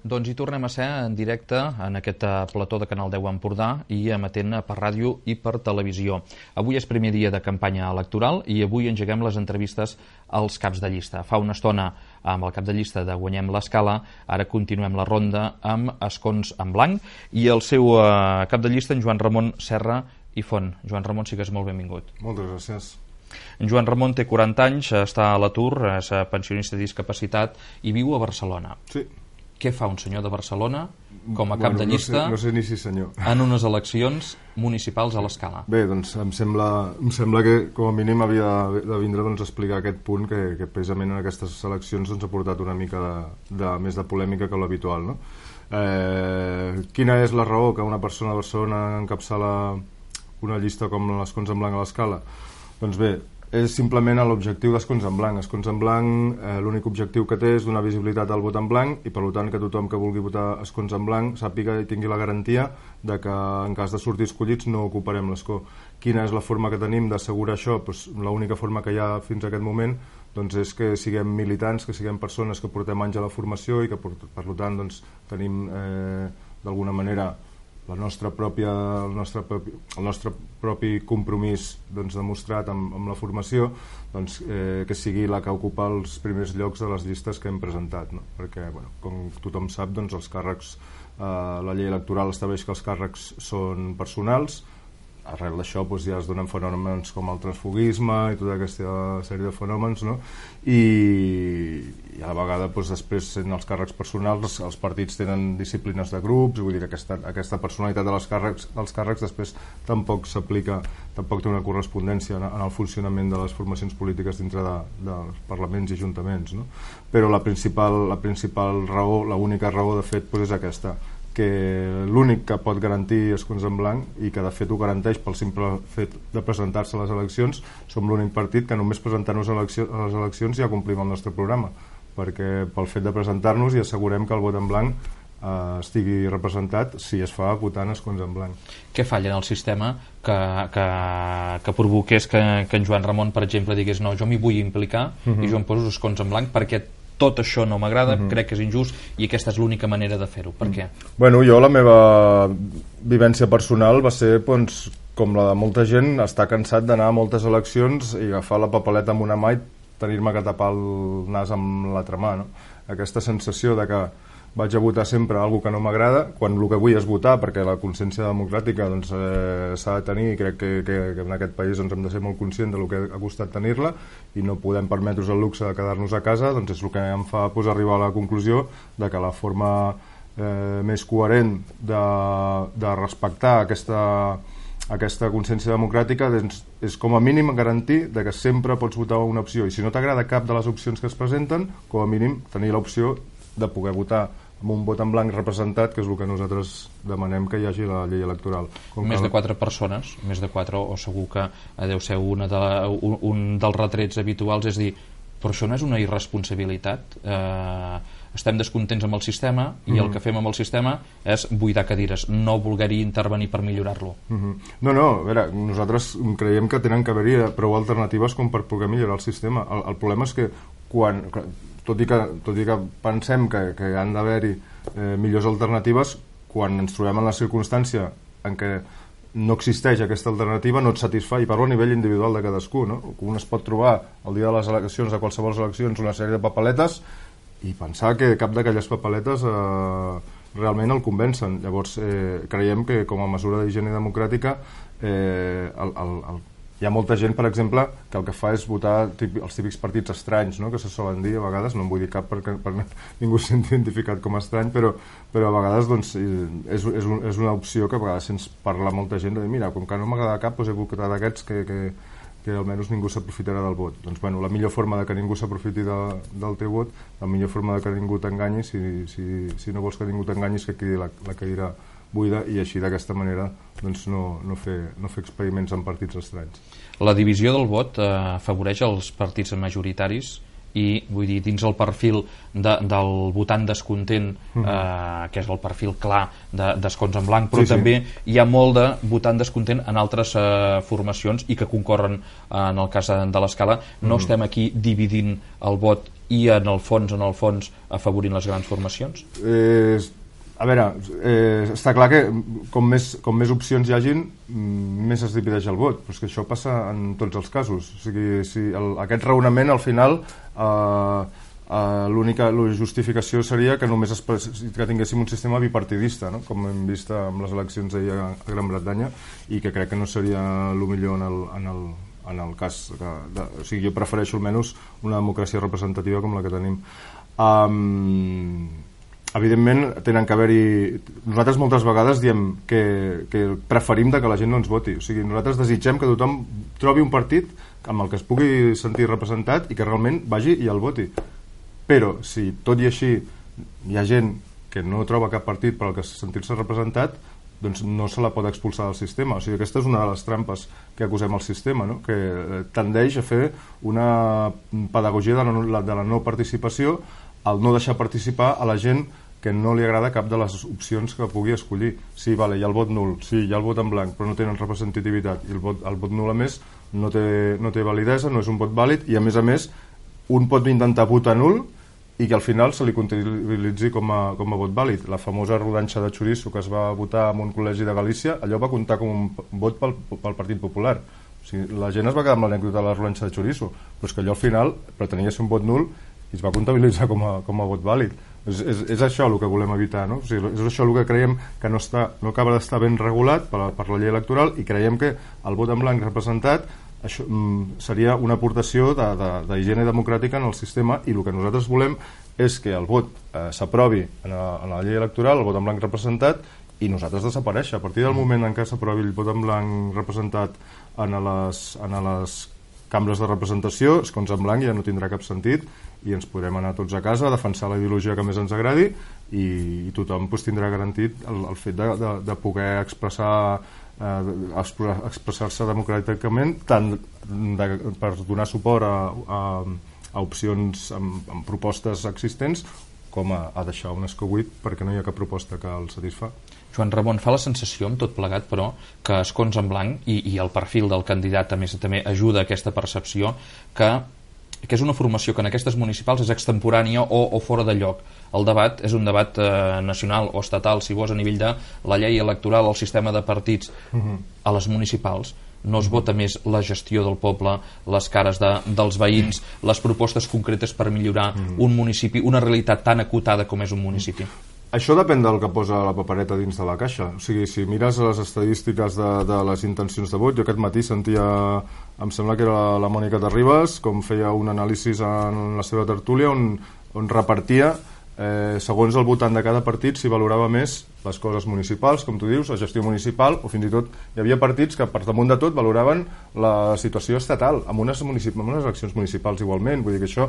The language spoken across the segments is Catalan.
Doncs hi tornem a ser en directe en aquest plató de Canal 10 Empordà i emetent per ràdio i per televisió. Avui és primer dia de campanya electoral i avui engeguem les entrevistes als caps de llista. Fa una estona amb el cap de llista de Guanyem l'Escala, ara continuem la ronda amb escons en blanc i el seu cap de llista, en Joan Ramon Serra i Font. Joan Ramon, sigues molt benvingut. Moltes gràcies. En Joan Ramon té 40 anys, està a l'atur, és pensionista de discapacitat i viu a Barcelona. Sí. Què fa un senyor de Barcelona com a cap de llista no sé ni si senyor. en unes eleccions municipals a l'Escala? Bé, doncs em sembla que com a mínim havia de vindre a explicar aquest punt que precisament en aquestes eleccions ha portat una mica més de polèmica que l'habitual, no? Quina és la raó que una persona de Barcelona encapçala una llista com l'Escons en Blanc a l'Escala? Doncs bé, és simplement l'objectiu d'Escons en Blanc. Escons en Blanc, l'únic objectiu que té és donar visibilitat al vot en blanc i per tant que tothom que vulgui votar Escons en Blanc sàpiga i tingui la garantia de que en cas de sortir escollits no ocuparem l'escó. Quina és la forma que tenim d'assegurar això? Doncs l'única forma que hi ha fins a aquest moment doncs és que siguem militants, que siguem persones que portem anys a la formació i que per tant doncs, tenim d'alguna manera el nostre propi compromís doncs, demostrat amb la formació doncs, que sigui la que ocupa els primers llocs de les llistes que hem presentat, no? Perquè, com tothom sap, doncs, els càrrecs, la llei electoral estableix que els càrrecs són personals. Arrel d'això doncs, ja es donen fenòmens com el transfuguisme i tota aquesta sèrie de fenòmens, no? I a la vegada doncs, després sent els càrrecs personals els partits tenen disciplines de grups, vull dir que aquesta personalitat dels càrrecs després tampoc s'aplica, tampoc té una correspondència en el funcionament de les formacions polítiques dintre dels parlaments i ajuntaments, no? Però la principal raó, l'única raó de fet doncs, és aquesta, que l'únic que pot garantir Escons en Blanc i que de fet ho garanteix pel simple fet de presentar-se a les eleccions, som l'únic partit que només presentant-nos a les eleccions ja complim el nostre programa, perquè pel fet de presentar-nos i assegurem que el vot en blanc estigui representat si es fa votant Escons en Blanc. Què falla en el sistema que provoqués que en Joan Ramon, per exemple, digués no, jo m'hi vull implicar i jo em poso Escons en Blanc perquè tot això no m'agrada, crec que és injust i aquesta és l'única manera de fer-ho. Per què? Bueno, jo la meva vivència personal va ser doncs, com la de molta gent, estar cansat d'anar a moltes eleccions i agafar la papeleta amb una mà i tenir-me que tapar el nas amb l'altra mà, no? Aquesta sensació de que vaig a votar sempre alguna que no m'agrada, quan el que vull és votar, perquè la consciència democràtica doncs, s'ha de tenir i crec que en aquest país doncs, hem de ser molt conscients del que ha costat tenir-la i no podem permetre's el luxe de quedar-nos a casa, doncs és el que em fa arribar a la conclusió de que la forma més coherent de respectar aquesta consciència democràtica doncs, és com a mínim garantir que sempre pots votar una opció i si no t'agrada cap de les opcions que es presenten, com a mínim tenir l'opció de poder votar amb un vot en blanc representat, que és el que nosaltres demanem que hi hagi la llei electoral. Més de 4 persones, més de 4, o segur que deu ser un dels retrets habituals, és dir, però això no és una irresponsabilitat? Estem descontents amb el sistema i el que fem amb el sistema és buidar cadires, no voler-hi intervenir per millorar-lo. No, a veure, nosaltres creiem que tenen que haver-hi prou alternatives com per poder millorar el sistema. El problema és que tot i que pensem que han d'haver-hi millors alternatives, quan ens trobem en la circumstància en què no existeix aquesta alternativa no et satisfà, i parlo a nivell individual de cadascú, no? Un es pot trobar el dia de les eleccions, a qualsevol eleccions, una sèrie de papeletes i pensar que cap d'aquelles papeletes realment el convencen. Llavors creiem que com a mesura d'higiene democràtica hi ha molta gent, per exemple, que el que fa és votar els típics partits estranys, no? Que se solen dir a vegades, no en vull dir cap perquè ningú s'ha identificat com a estrany, però a vegades doncs, és una opció que a vegades sents parlar molta gent de dir, mira, com que no m'agrada cap, doncs he votat d'aquests que almenys ningú s'aprofitarà del vot. Doncs bueno, la millor forma de que ningú s'aprofiti del teu vot, la millor forma de que ningú t'enganyi, si no vols que ningú t'enganyi, és que quedi la cadira buida i així d'aquesta manera doncs, no fer experiments amb partits estranys. La divisió del vot afavoreix els partits majoritaris i vull dir, dins el perfil del votant descontent, que és el perfil clar d'escons en blanc, però també hi ha molt de votant descontent en altres formacions i que concorren en el cas de l'Escala. No estem aquí dividint el vot i en el fons afavorint les grans formacions? A veure, està clar que com més opcions hi hagin, més es divideix el vot, però és que això passa en tots els casos. O sigui, aquest raonament al final l'única justificació seria que només que tinguéssim un sistema bipartidista, no? Com hem vist amb les eleccions d'ahir a Gran Bretanya, i que crec que no seria el millor en el cas o sigui, jo prefereixo almenys una democràcia representativa com la que tenim. Evidentment tenen que haver-hi... Nosaltres moltes vegades diem que preferim que la gent no ens voti, o sigui, nosaltres desitgem que tothom trobi un partit amb el que es pugui sentir representat i que realment vagi i el voti, però si tot i així hi ha gent que no troba cap partit per al que sentir-se representat, doncs no se la pot expulsar del sistema. O sigui, aquesta és una de les trampes que acusem al sistema, no? Que tendeix a fer una pedagogia de la no participació, al no deixar participar a la gent que no li agrada cap de les opcions que pugui escollir. Sí, vale, hi ha el vot nul, sí, hi ha el vot en blanc, però no tenen representativitat, i el vot nul a més no té validesa, no és un vot vàlid, i a més un pot intentar votar nul i que al final se li comptabilitzi com a vot vàlid. La famosa rodanxa de xoriço que es va votar en un col·legi de Galícia, allò va comptar com un vot pel Partit Popular. O sigui, la gent es va quedar amb l'anècdota de la rodanxa de xoriço, però és que allò al final pretenia ser un vot nul i es va comptabilitzar com a vot vàlid. És això el que volem evitar, no? O sigui, és això el que creiem que no acaba d'estar ben regulat per la llei electoral, i creiem que el vot en blanc representat això seria una aportació d'higiene democràtica en el sistema, i el que nosaltres volem és que el vot s'aprovi en la llei electoral, el vot en blanc representat, i nosaltres desaparèixer. A partir del moment en què s'aprovi el vot en blanc representat en les cambres de representació, escons en blanc ja no tindrà cap sentit, i ens podrem anar tots a casa a defensar la ideologia que més ens agradi, i tothom tindrà garantit el fet de poder expressar-se democràticament, tant per donar suport a opcions amb propostes existents, com a deixar un escó buit perquè no hi ha cap proposta que el satisfà. Joan Ramon, fa la sensació, amb tot plegat, però, que escons en blanc i el perfil del candidat també ajuda a aquesta percepció que és una formació que en aquestes municipals és extemporània o fora de lloc. El debat és un debat nacional o estatal, si vols, a nivell de la llei electoral, el sistema de partits. A les municipals no es vota més la gestió del poble, les cares dels veïns, les propostes concretes per millorar un municipi, una realitat tan acotada com és un municipi. Això depèn del que posa la papereta dins de la caixa. O sigui, si mires les estadístiques de les intencions de vot, jo aquest matí sentia, em sembla que era la Mònica Terribas, com feia un anàlisi en la seva tertúlia on repartia segons el votant de cada partit si valorava més les coses municipals, com tu dius, la gestió municipal, o fins i tot hi havia partits que per damunt de tot valoraven la situació estatal amb unes eleccions municipals igualment. Vull dir que això,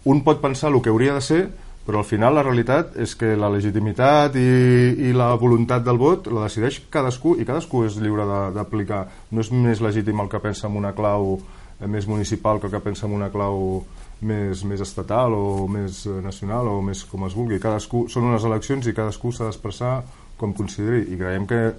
un pot pensar el que hauria de ser, però al final la realitat és que la legitimitat i la voluntat del vot la decideix cadascú, i cadascú és lliure d'aplicar. No és més legítim el que pensa en una clau més municipal que el que pensa en una clau més estatal o més nacional o més com es vulgui. Són unes eleccions i cadascú s'ha d'expressar com consideri, i creiem que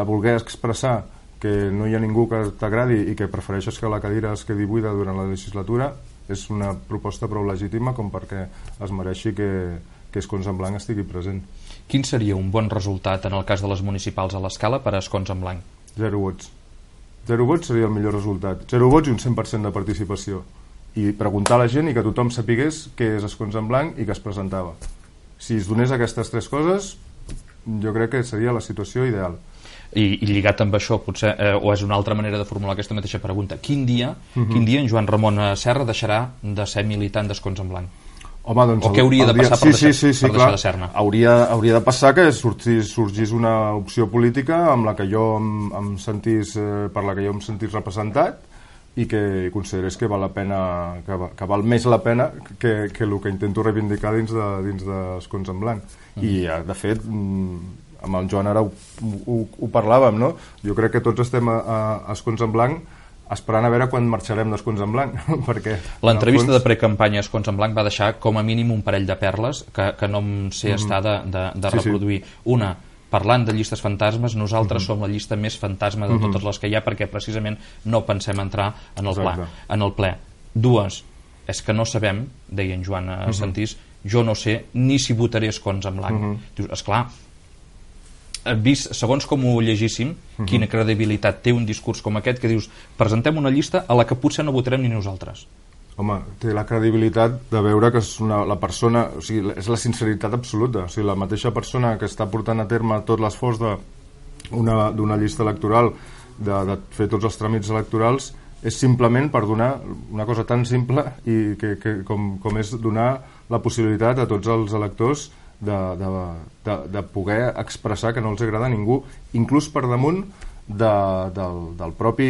voler expressar que no hi ha ningú que t'agradi i que prefereixes que la cadira es quedi buida durant la legislatura és una proposta prou legítima com perquè es mereixi que escons en blanc estigui present. Quin seria un bon resultat en el cas de les municipals a l'Escala per a escons en blanc? 0 vots. 0 vots seria el millor resultat. 0 vots i un 100% de participació. I preguntar a la gent i que tothom sapigués què és escons en blanc i que es presentava. Si es donés aquestes 3 coses, jo crec que seria la situació ideal. I lligat amb això, potser, o és una altra manera de formular aquesta mateixa pregunta, quin dia en Joan Ramon Serra deixarà de ser militant d'escons en blanc? Home, doncs o què hauria de passar per deixar de ser-ne? Hauria de passar que sorgís una opció política amb la que jo em sentís, per la que jo em sentís representat, i que considerés que val la pena, que val més la pena que el que intento reivindicar dins d'escons en blanc. I de fet, amb el Joan ara ho parlàvem, no? Jo crec que tots estem a escons en blanc esperant a veure quan marxarem d'Escons en Blanc, perquè... L'entrevista de precampanya a Escons en Blanc va deixar com a mínim un parell de perles que no em sé estar de reproduir. Una, parlant de llistes fantasmes, nosaltres som la llista més fantasma de totes les que hi ha, perquè precisament no pensem entrar en el ple. Dues, és que no sabem, deia en Joan Santís, jo no sé ni si votaré Escons en Blanc. Dius, esclar, vist, segons com ho llegíssim, quina credibilitat té un discurs com aquest, que dius, presentem una llista a la que potser no votarem ni nosaltres. Home, té la credibilitat de veure que és la persona, o sigui, és la sinceritat absoluta, o sigui, la mateixa persona que està portant a terme tot l'esforç d'una llista electoral, de fer tots els tràmits electorals, és simplement per donar una cosa tan simple i com és donar la possibilitat a tots els electors de poder expressar que no els agrada a ningú, inclús per damunt del propi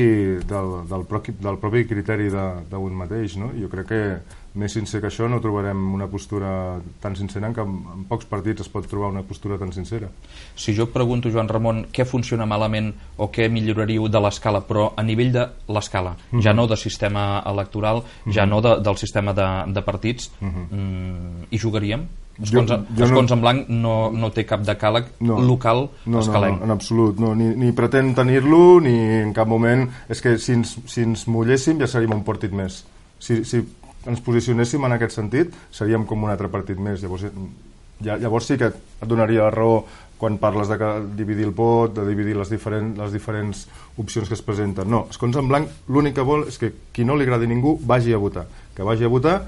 criteri d'un mateix, no? Jo crec que més sincer que això no trobarem una postura tan sincera, que en pocs partits es pot trobar una postura tan sincera. Si jo et pregunto, Joan Ramon, què funciona malament o què milloraríeu de l'escala, però a nivell de l'escala, ja no de sistema electoral, ja no del sistema de partits, hi jugaríem? Escons en Blanc no té cap decàleg local escalenc. No, en absolut, ni pretén tenir-lo, ni en cap moment. És que si ens mulléssim ja seríem un partit més. Si ens posicionéssim en aquest sentit, seríem com un altre partit més. Llavors sí que et donaria la raó quan parles de dividir el vot, de dividir les diferents opcions que es presenten. No, Escons en Blanc l'únic que vol és que qui no li agradi ningú vagi a votar. Que vagi a votar,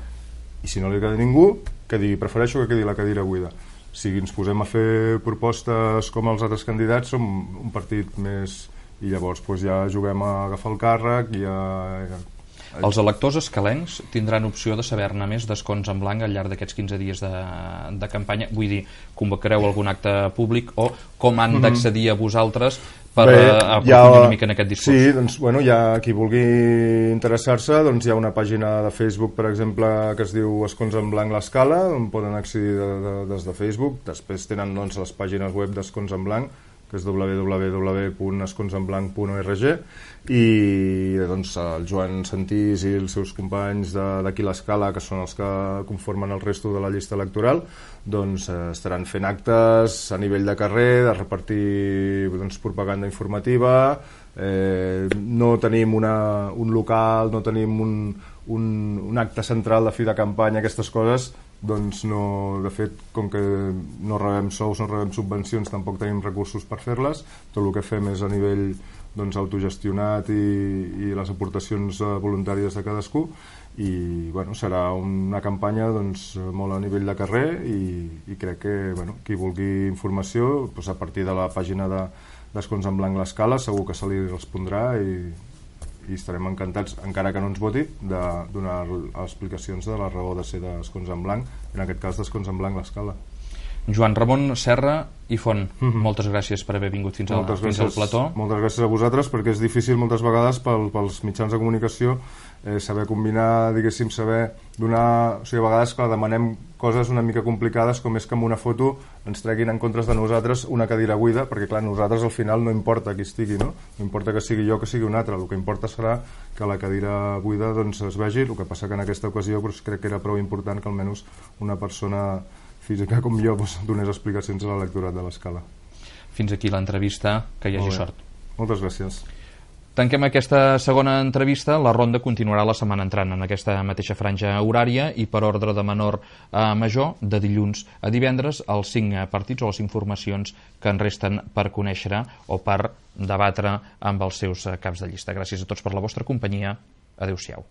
i si no li agrada ningú, que digui, prefereixo que quedi la cadira buida. Si ens posem a fer propostes com els altres candidats, som un partit més, i llavors ja juguem a agafar el càrrec i Els electors escalencs tindran opció de saber-ne més d'Escons en Blanc al llarg d'aquests 15 dies de campanya. Vull dir, convocareu algun acte públic o com han d'accedir a vosaltres per aprofundir una mica en aquest discurs? Sí, doncs, hi ha qui vulgui interessar-se, doncs hi ha una pàgina de Facebook, per exemple, que es diu Escons en Blanc l'Escala, on poden accedir des de Facebook. Després tenen les pàgines web d'Escons en Blanc, que és www.esconsenblanc.org, i doncs el Joan Santís i els seus companys d'aquí l'Escala, que són els que conformen el resto de la llista electoral, doncs estaran fent actes a nivell de carrer, de repartir propaganda informativa. No tenim un local, no tenim un acte central de fi de campanya, aquestes coses. Doncs no, de fet, com que no rebem sous, no rebem subvencions, tampoc tenim recursos per fer-les. Tot el que fem és a nivell autogestionat i les aportacions voluntàries de cadascú, i serà una campanya molt a nivell de carrer, i crec que qui vulgui informació, a partir de la pàgina d'Escons en Blanc l'Escala, segur que se li respondrà, i estarem encantats, encara que no ens voti, de donar explicacions de la raó de ser d'Escons en Blanc, en aquest cas d'Escons en Blanc l'Escala. Joan Ramon Serra i Font, moltes gràcies per haver vingut fins al plató. Moltes gràcies a vosaltres, perquè és difícil moltes vegades pels mitjans de comunicació saber combinar, diguéssim, saber donar... O sigui, a vegades, clar, demanem coses una mica complicades, com és que amb una foto ens treguin en comptes de nosaltres una cadira buida, perquè, clar, nosaltres al final no importa qui estigui, no? No importa que sigui jo, que sigui un altre. El que importa serà que la cadira buida es vegi. El que passa que en aquesta ocasió crec que era prou important que almenys una persona física com jo donés explicacions a l'electorat de l'Escala. Fins aquí l'entrevista, que hi hagi sort. Moltes gràcies. Tanquem aquesta segona entrevista. La ronda continuarà la setmana entrant en aquesta mateixa franja horària, i per ordre de menor a major, de dilluns a divendres, els 5 partits o les 5 formacions que en resten per conèixer o per debatre amb els seus caps de llista. Gràcies a tots per la vostra companyia. Adéu-siau.